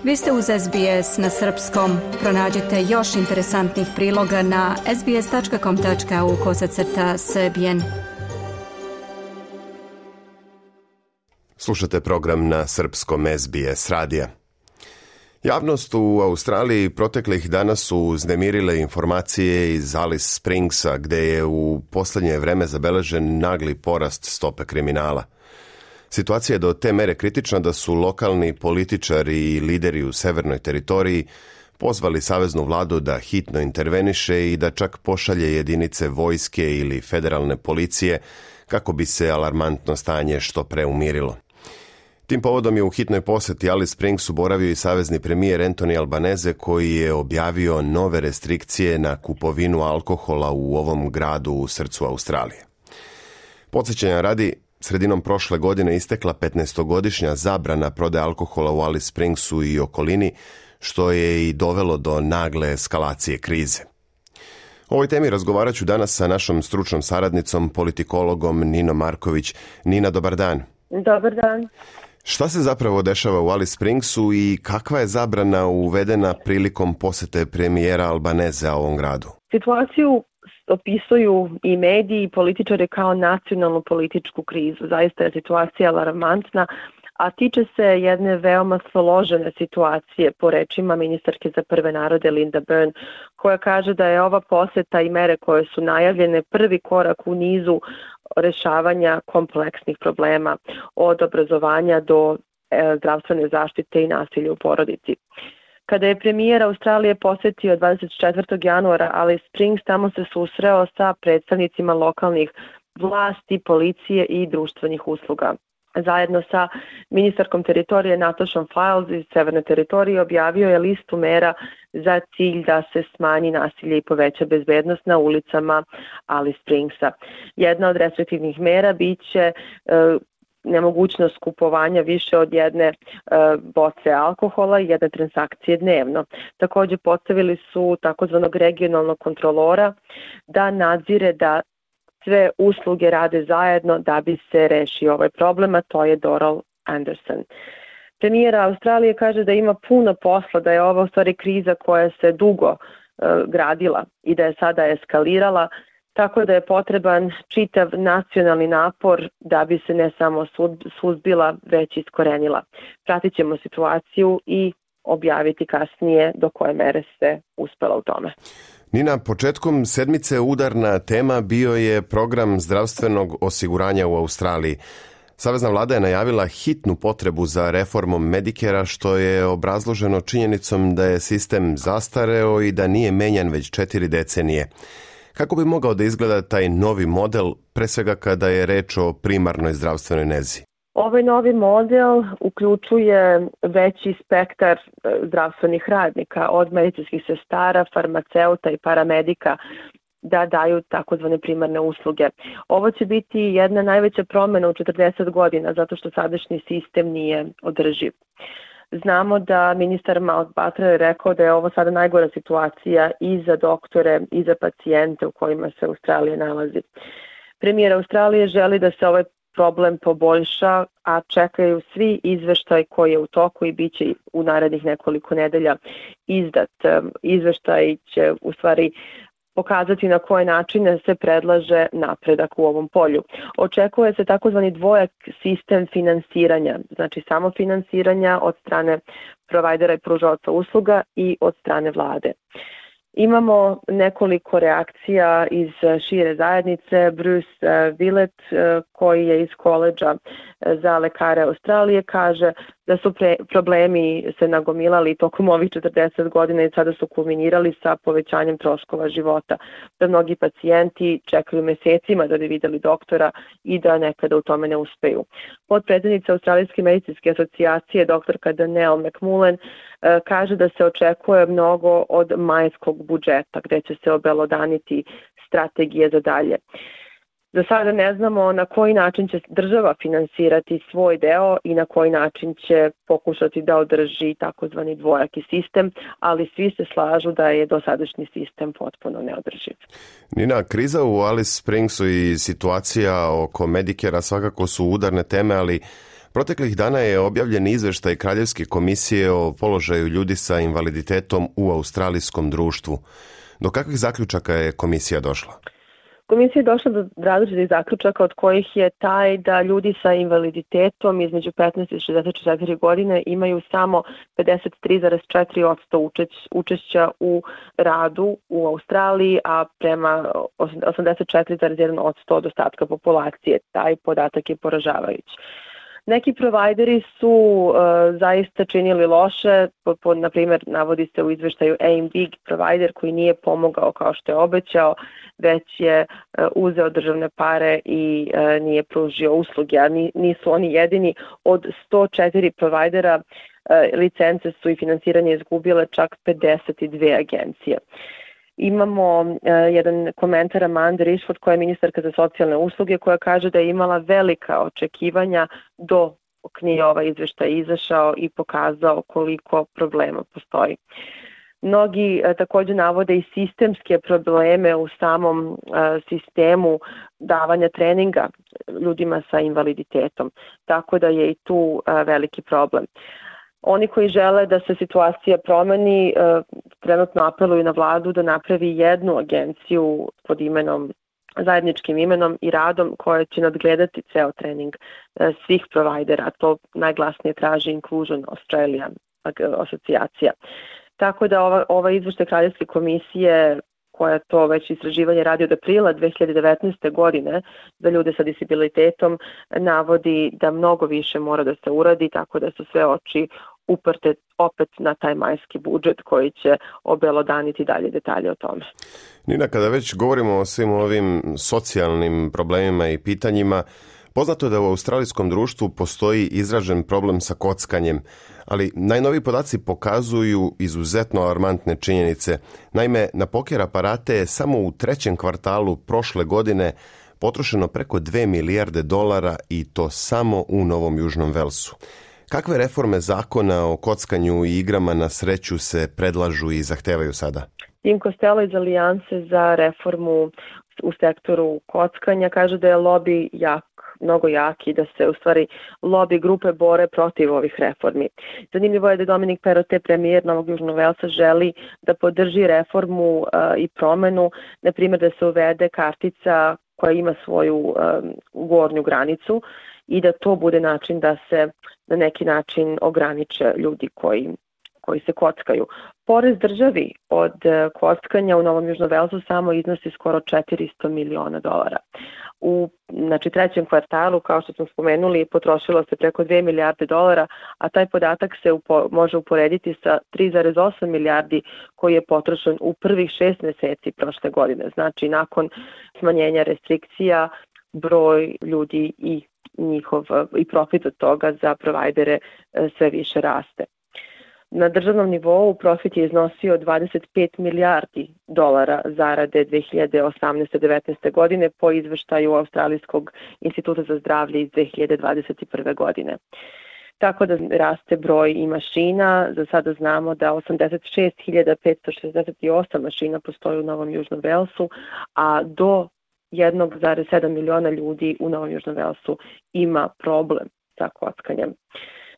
Vi ste uz SBS na srpskom. Pronađite još interesantnih priloga na sbs.com.au/srbijen. Slušate program na srpskom SBS radija. Javnost u Australiji proteklih dana su uznemirile informacije iz Alice Springsa, gde je u posljednje vreme zabeležen nagli porast stope kriminala. Situacija je do te mere kritična da su lokalni političari i lideri u severnoj teritoriji pozvali saveznu vladu da hitno interveniše i da čak pošalje jedinice vojske ili federalne policije kako bi se alarmantno stanje što pre umirilo. Tim povodom je u hitnoj poseti Alice Springsu boravio i savezni premijer Anthony Albanese, koji je objavio nove restrikcije na kupovinu alkohola u ovom gradu u srcu Australije. Podsjećanja radi, sredinom prošle godine istekla 15-godišnja zabrana prodaje alkohola u Alice Springsu i okolini, što je i dovelo do nagle eskalacije krize. O ovoj temi razgovarat ću danas sa našom stručnom saradnicom, politikologom Ninom Marković. Nina, dobar dan. Dobar dan. Šta se zapravo dešava u Alice Springsu i kakva je zabrana uvedena prilikom posete premijera Albanese ovom gradu? Situaciju opisuju i mediji i političari kao nacionalnu političku krizu. Zaista je situacija alarmantna, a tiče se jedne veoma složene situacije, po rečima ministarke za prve narode Linda Byrne, koja kaže da je ova poseta i mere koje su najavljene prvi korak u nizu rešavanja kompleksnih problema, od obrazovanja do zdravstvene zaštite i nasilja u porodici. Kada je premijer Australije posetio 24. januara Alice Springs, tamo se susreo sa predstavnicima lokalnih vlasti, policije i društvenih usluga. Zajedno sa ministarkom teritorije Natoshom Fyles iz Severne teritorije objavio je listu mera za cilj da se smanji nasilje i poveća bezbednost na ulicama Alice Springsa. Jedna od restriktivnih mera biće nemogućnost kupovanja više od jedne boce alkohola i jedne transakcije dnevno. Također postavili su takozvanog regionalnog kontrolora da nadzire da sve usluge rade zajedno da bi se rešio ovaj problem, a to je Doral Anderson. Premijer Australije kaže da ima puno posla, da je ovo u stvari kriza koja se dugo gradila i da je sada eskalirala, tako da je potreban čitav nacionalni napor da bi se ne samo suzbila, već iskorenila. Pratit ćemo situaciju i objaviti kasnije do koje mere se uspela u tome. Nina, početkom sedmice udarna tema bio je program zdravstvenog osiguranja u Australiji. Savezna vlada je najavila hitnu potrebu za reformom Medicarea, što je obrazloženo činjenicom da je sistem zastareo i da nije menjan već 4 decenije. Kako bi mogao da izgleda taj novi model, pre svega kada je reč o primarnoj zdravstvenoj nezi? Ovaj novi model uključuje veći spektar zdravstvenih radnika, od medicinskih sestara, farmaceuta i paramedika, da daju takozvane primarne usluge. Ovo će biti jedna najveća promjena u 40 godina, zato što sadašnji sistem nije održiv. Znamo da ministar Mountbatten je rekao da je ovo sada najgora situacija i za doktore i za pacijente u kojima se Australija nalazi. Premijer Australije želi da se ovaj problem poboljša, a čekaju svi izveštaj koji je u toku i bit će u narednih nekoliko nedelja izdat. Izveštaj će u stvari pokazati na koje načine se predlaže napredak u ovom polju. Očekuje se takozvani dvojak sistem finansiranja, znači samo finansiranja od strane provajdera i pružaoca usluga i od strane vlade. Imamo nekoliko reakcija iz šire zajednice. Bruce Willett, koji je iz koledža za lekare Australije, kaže da su problemi se nagomilali tokom ovih 40 godina i sada su kulminirali sa povećanjem troškova života. Da mnogi pacijenti čekaju mesecima da bi videli doktora i da nekada u tome ne uspeju. Potpredsednica Australijske medicinske asocijacije, doktorka Danielle McMullen, kaže da se očekuje mnogo od majskog budžeta, gde će se obelodaniti strategije za dalje. Za sada ne znamo na koji način će država finansirati svoj deo i na koji način će pokušati da održi takozvani dvojaki sistem, ali svi se slažu da je dosadašnji sistem potpuno neodrživ. Nina, kriza u Alice Springsu i situacija oko Medicarea svakako su udarne teme, ali Proteklih dana je objavljen izveštaj Kraljevske komisije o položaju ljudi sa invaliditetom u australijskom društvu. Do kakvih zaključaka je komisija došla? Komisija je došla do različitih zaključaka, od kojih je taj da ljudi sa invaliditetom između 15 i 64 godine imaju samo 53,4% učešća u radu u Australiji, a prema 84,1% od ostatka populacije. Taj podatak je poražavajući. Neki provajderi su zaista činili loše, na primjer navodi se u izveštaju Aim Big provajder koji nije pomogao kao što je obećao, već je uzeo državne pare i nije pružio usluge, a nisu oni jedini. Od 104 provajdera licence su i finansiranje izgubile čak 52 agencije. Imamo jedan komentar Amanda Rishford, koja je ministarka za socijalne usluge, koja kaže da je imala velika očekivanja dok nije ovaj izveštaj izašao i pokazao koliko problema postoji. Mnogi također navode i sistemske probleme u samom sistemu davanja treninga ljudima sa invaliditetom, tako da je i tu veliki problem. Oni koji žele da se situacija promeni trenutno apeluju na vladu da napravi jednu agenciju pod zajedničkim imenom i radom koja će nadgledati ceo trening svih provajdera. To najglasnije traži Inclusion Australia asocijacija. Tako da ova izveštaj Kraljevske komisije, koja to već istraživanje radi od aprila 2019. godine za ljude sa disabilitetom, navodi da mnogo više mora da se uradi, tako da su sve oči uprte opet na taj majski budžet koji će obelodaniti dalje detalje o tome. Nina, kada već govorimo o svim ovim socijalnim problemima i pitanjima, poznato je da u australijskom društvu postoji izražen problem sa kockanjem, ali najnoviji podaci pokazuju izuzetno alarmantne činjenice. Naime, na poker aparate je samo u 3. kvartalu prošle godine potrošeno preko $2 milijarde i to samo u Novom Južnom Velsu. Kakve reforme zakona o kockanju i igrama na sreću se predlažu i zahtevaju sada? Tim Costello iz Alijanse za reformu u sektoru kockanja kaže da je lobby mnogo jak i da se u stvari lobby grupe bore protiv ovih reformi. Zanimljivo je da Dominic Perrottet, premijer Novog Južnog Velsa, želi da podrži reformu i promenu, na primjer da se uvede kartica koja ima svoju gornju granicu i da to bude način da se na neki način ograniče ljudi koji se kockaju. Porez državi od kockanja u Novom Južnom Velsu samo iznosi skoro $400 miliona. U 3. kvartalu, kao što smo spomenuli, potrošilo se preko $2 milijarde, a taj podatak se može uporediti sa 3,8 milijardi koji je potrošen u prvih 6 mjeseci prošle godine. Znači, nakon smanjenja restrikcija, broj ljudi i profit od toga za provajdere sve više raste. Na državnom nivou profit je iznosio $25 milijardi zarade 2018-19. godine po izveštaju Australijskog instituta za zdravlje iz 2021. godine. Tako da raste broj i mašina. Za sada znamo da 86.568 mašina postoji u Novom Južnom Velsu, a do 1,7 miliona ljudi u Novom Južnom Velsu ima problem sa kockanjem.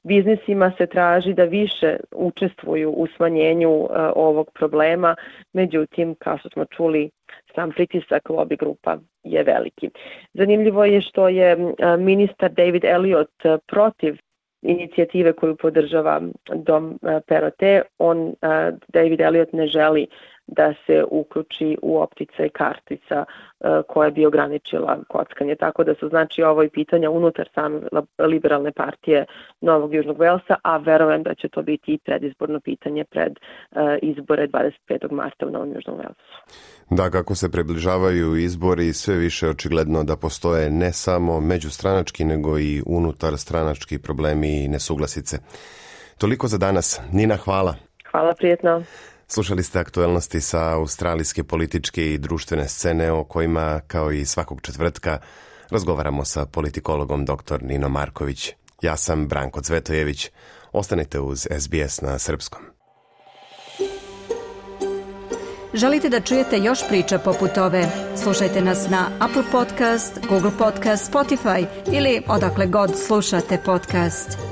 Biznisima se traži da više učestvuju u smanjenju ovog problema, međutim, kao što smo čuli, sam pritisak lobby grupa je veliki. Zanimljivo je što je ministar David Elliott protiv inicijative koju podržava Dom Perrottet. David Elliott ne želi da se uključi u opticaj kartica koja bi ograničila kockanje. Tako da su ovo i pitanja unutar same liberalne partije Novog Južnog Velsa, a verujem da će to biti i predizborno pitanje pred izbore 25. marta u Novom Južnom Velsu. Da, kako se približavaju izbori, sve više očigledno da postoje ne samo međustranački, nego i unutar stranački problemi i nesuglasice. Toliko za danas. Nina, hvala. Hvala, prijetno. Slušali ste aktuelnosti sa australijske političke i društvene scene o kojima, kao i svakog četvrtka, razgovaramo sa politikologom dr. Ninom Marković. Ja sam Branko Cvetojević. Ostanite uz SBS na srpskom. Želite da čujete još priča poput ove? Slušajte nas na Apple Podcast, Google Podcast, Spotify ili odakle god slušate podcast.